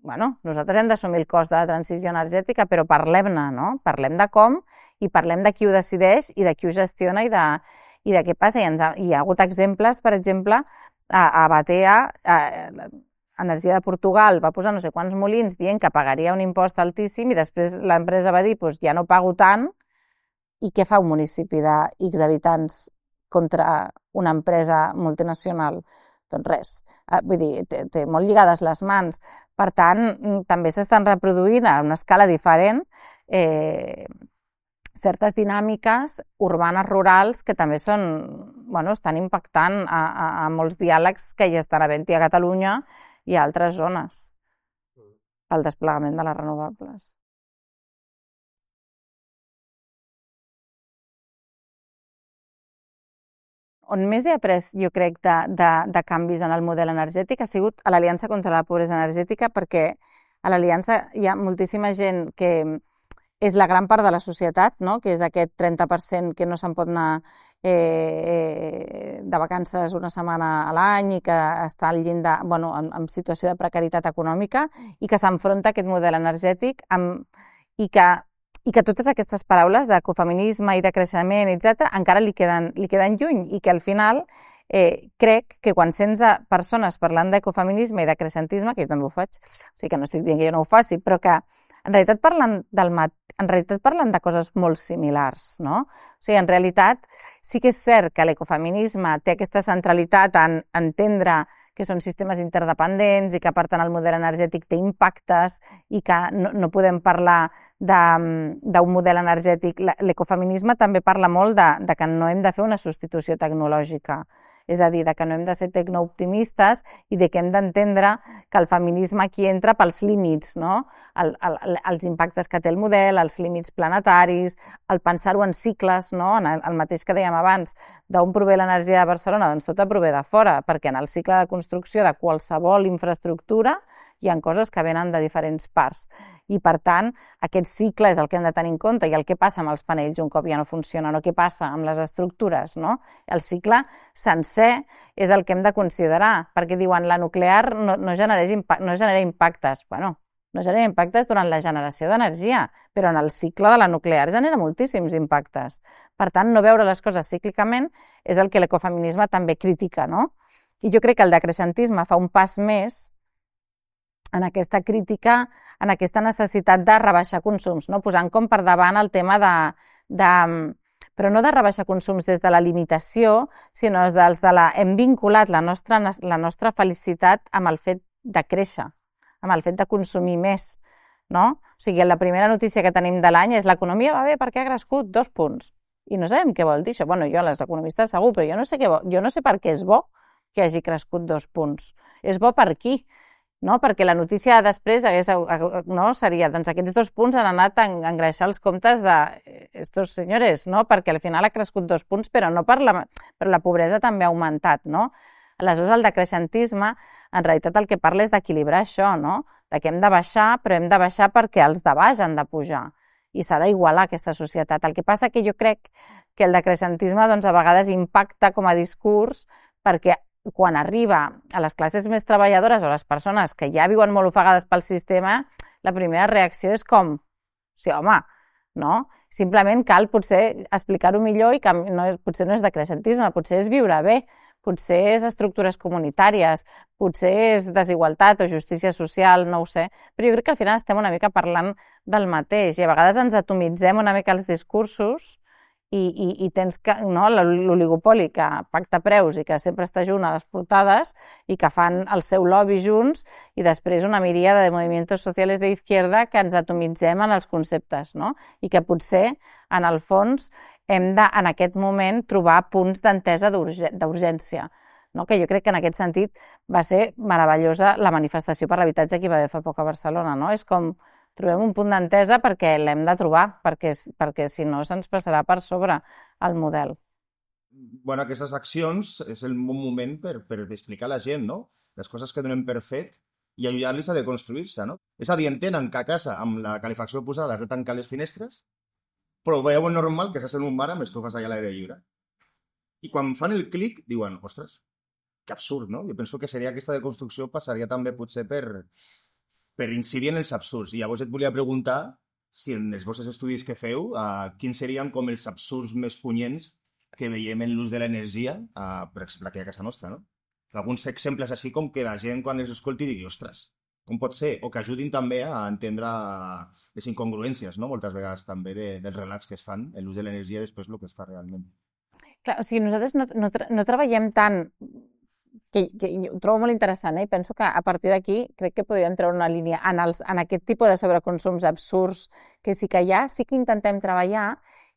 bueno, nosaltres hem d'assumir el cost de la transició energètica, però parlem-ne, no? Parlem de com i parlem de qui ho decideix i de qui ho gestiona i de què passa. Hi ha hagut exemples, per exemple, a Batea, Energia de Portugal va posar no sé quants molins dient que pagaria un impost altíssim i després l'empresa va dir ja no pago tant. I què fa un municipi de X habitants contra una empresa multinacional? Doncs res. Vull dir, té molt lligades les mans. Per tant, també s'estan reproduint a una escala diferent certes dinàmiques urbanes rurals que també estan impactant a molts diàlegs que hi estan havent-hi a Catalunya i a altres zones pel desplegament de les renovables. On més he après, jo crec, de canvis en el model energètic ha sigut a l'Aliança contra la Pobresa Energètica, perquè a l'Aliança hi ha moltíssima gent que és la gran part de la societat, no? Que és aquest 30% que no se'n pot anar de vacances una setmana a l'any i que està al llindar, en situació de precarietat econòmica i que s'enfronta a aquest model energètic i que totes aquestes paraules d'ecofeminisme i de creixement, etc., encara li queden lluny i que al final crec que quan sents persones parlant d'ecofeminisme i de creixentisme, que jo també ho faig, o sigui que no estic dient que jo no ho faci, però que en realitat parlen de coses molt similars, no? O sigui, en realitat sí que és cert que l'ecofeminisme té aquesta centralitat en entendre que són sistemes interdependents i que, per tant, el model energètic té impactes i que no podem parlar d'un model energètic. L'ecofeminisme també parla molt de que no hem de fer una substitució tecnològica, és a dir, que no hem de ser tecnooptimistes i que hem d'entendre que el feminisme aquí entra pels límits, no? Els impactes que té el model, els límits planetaris, el pensar-ho en cicles, no? El mateix que dèiem abans, d'on prové l'energia de Barcelona, doncs tota prové de fora, perquè en el cicle de construcció de qualsevol infraestructura hi ha coses que venen de diferents parts. I, per tant, aquest cicle és el que hem de tenir en compte i el que passa amb els panells un cop ja no funcionen o què passa amb les estructures, no? El cicle sencer és el que hem de considerar, perquè diuen la nuclear no genera impactes. Bueno, no genera impactes durant la generació d'energia, però en el cicle de la nuclear genera moltíssims impactes. Per tant, no veure les coses cíclicament és el que l'ecofeminisme també critica, no? I jo crec que el decreixentisme fa un pas més en aquesta crítica, en aquesta necessitat de rebaixar consums, no? Posant com per davant el tema però no de rebaixar consums des de la limitació, sinó des de hem vinculat la nostra felicitat amb el fet de créixer, amb el fet de consumir més, no? O sigui, la primera notícia que tenim de l'any és l'economia va bé perquè ha crescut 2 punts. I no sabem què vol dir això. Bueno, jo, les economistes segur, però jo no sé per què és bo que hagi crescut 2 punts. És bo per qui? No? Perquè la notícia després seria doncs aquests 2 punts han anat a engreixar els comptes d'estos senyores, no? Perquè al final ha crescut 2 punts, però no però la pobresa també ha augmentat, no? Aleshores, el decreixentisme, en realitat el que parla és d'equilibrar això, no? De que hem de baixar, però hem de baixar perquè els de baix han de pujar. i s'ha d'igualar aquesta societat. El que passa que jo crec que el decreixentisme doncs, a vegades impacta com a discurs perquè quan arriba a les classes més treballadores o a les persones que ja viuen molt ofegades pel sistema, la primera reacció és com, sí, home, no? Simplement cal potser explicar-ho millor i que potser no és decreixentisme, potser és viure bé, potser és estructures comunitàries, potser és desigualtat o justícia social, no ho sé, però jo crec que al final estem una mica parlant del mateix i a vegades ens atomitzem una mica els discursos i tens l'oligopoli que pacta preus i que sempre està junt a les portades i que fan el seu lobby junts i després una miríada de movimientos sociales de izquierda que ens atomitzem en els conceptes, no? I que potser, en el fons, hem de, en aquest moment, trobar punts d'entesa d'urgència, no? Que jo crec que en aquest sentit va ser meravellosa la manifestació per l'habitatge que hi va haver fa poc a Barcelona, no? És com trobem un punt d'entesa perquè l'hem de trobar, perquè si no se'ns passarà per sobre el model. Bueno, aquestes accions és el bon moment per explicar a la gent, no? Les coses que donem per fet i ajudar-los a deconstruir-se, no? És a dir, entenen que a casa, amb la calefacció posada, has de tancar les finestres, però veuen normal que s'has en un bar amb estufes allà a l'aire lliure. I quan fan el clic, diuen, ostres, que absurd, no? Jo penso que seria aquesta deconstrucció passaria també potser per incidir en els absurds. I llavors et volia preguntar si en els vostres estudis que feu, quins serien com els absurds més punyents que veiem en l'ús de l'energia, per exemple, aquí a casa nostra, no? Alguns exemples així com que la gent quan els escolti digui, ostres, com pot ser? O que ajudin també a entendre les incongruències, no? Moltes vegades també dels relats que es fan en l'ús de l'energia després el que es fa realment. Clar, o sigui, nosaltres no treballem tant que ho trobo molt interessant, i penso que a partir d'aquí crec que podríem treure una línia en aquest tipus de sobreconsums absurds que sí que hi ha, sí que intentem treballar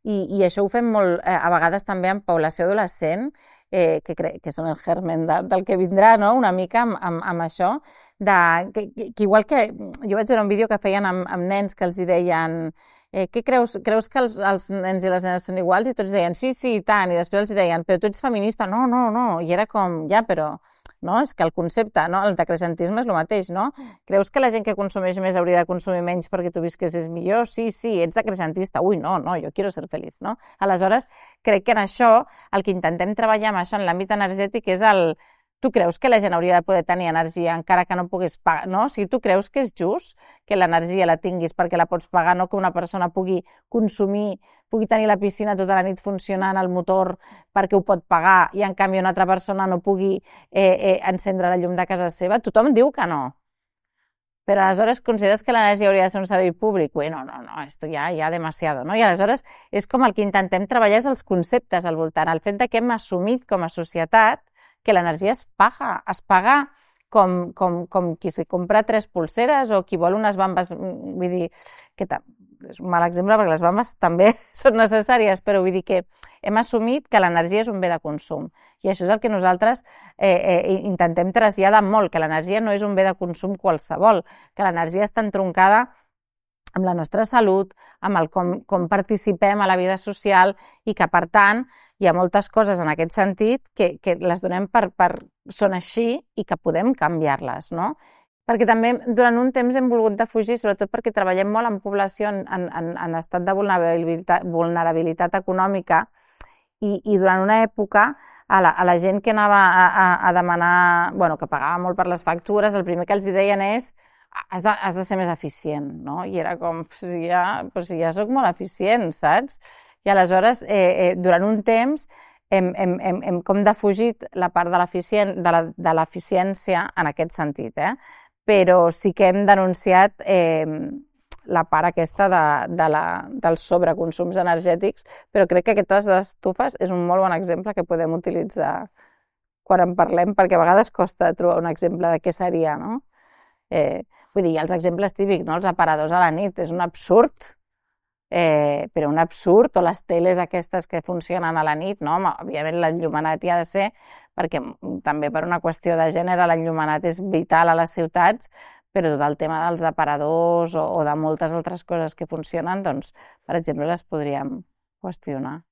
i això ho fem molt a vegades també en població adolescent, que són el germen del que vindrà, no? Una mica amb això, que igual que jo vaig veure un vídeo que feien amb nens que els hi deien què creus que els nens i les nenes són iguals? I tots deien, sí, i tant, i després els deien, però tu ets feminista, no, i era com, ja, però, no, és que el concepte, no, el decreixentisme és el mateix, no? Creus que la gent que consumeix més hauria de consumir menys perquè tu visquessis millor? Sí, ets decreixentista, ui, no, jo quiero ser feliç, no? Aleshores, crec que en això, el que intentem treballar amb això en l'àmbit energètic és tu creus que la gent hauria de poder tenir energia encara que no puguis pagar, no? O sigui, tu creus que és just que l'energia la tinguis perquè la pots pagar, no que una persona pugui consumir, pugui tenir la piscina tota la nit funcionant, el motor perquè ho pot pagar i en canvi una altra persona no pugui encendre la llum de casa seva? Tothom diu que no. Però aleshores consideres que l'energia hauria de ser un servei públic? Ui, no, esto ja demasiado, no? I aleshores és com el que intentem treballar és els conceptes al voltant, el fet que hem assumit com a societat que l'energia es paga com qui s'hi compra 3 polseres o qui vol unes bambes, vull dir, que és un mal exemple perquè les bambes també són necessàries, però vull dir que hem assumit que l'energia és un bé de consum i això és el que nosaltres intentem traslladar molt, que l'energia no és un bé de consum qualsevol, que l'energia està entroncada amb la nostra salut, amb com participem a la vida social i que, per tant, hi ha moltes coses en aquest sentit que les donem són així i que podem canviar-les, no? Perquè també durant un temps hem volgut defugir, sobretot perquè treballem molt en població en estat de vulnerabilitat econòmica i durant una època a la gent que anava a demanar, que pagava molt per les factures, el primer que els deien és has de ser més eficient, no? I era com, si ja soc molt eficient, saps? I aleshores, durant un temps, hem com defugit la part de l'eficiència en aquest sentit, però sí que hem denunciat la part aquesta dels sobreconsums energètics, però crec que aquestes estufes és un molt bon exemple que podem utilitzar quan en parlem, perquè a vegades costa trobar un exemple de què seria, no? Vull dir, els exemples típics, no? Els aparadors a la nit, és un absurd, però un absurd, o les teles aquestes que funcionen a la nit, no? Òbviament l'enllumenat hi ha de ser, perquè també per una qüestió de gènere l'enllumenat és vital a les ciutats, però tot el tema dels aparadors o de moltes altres coses que funcionen, doncs, per exemple, les podríem qüestionar.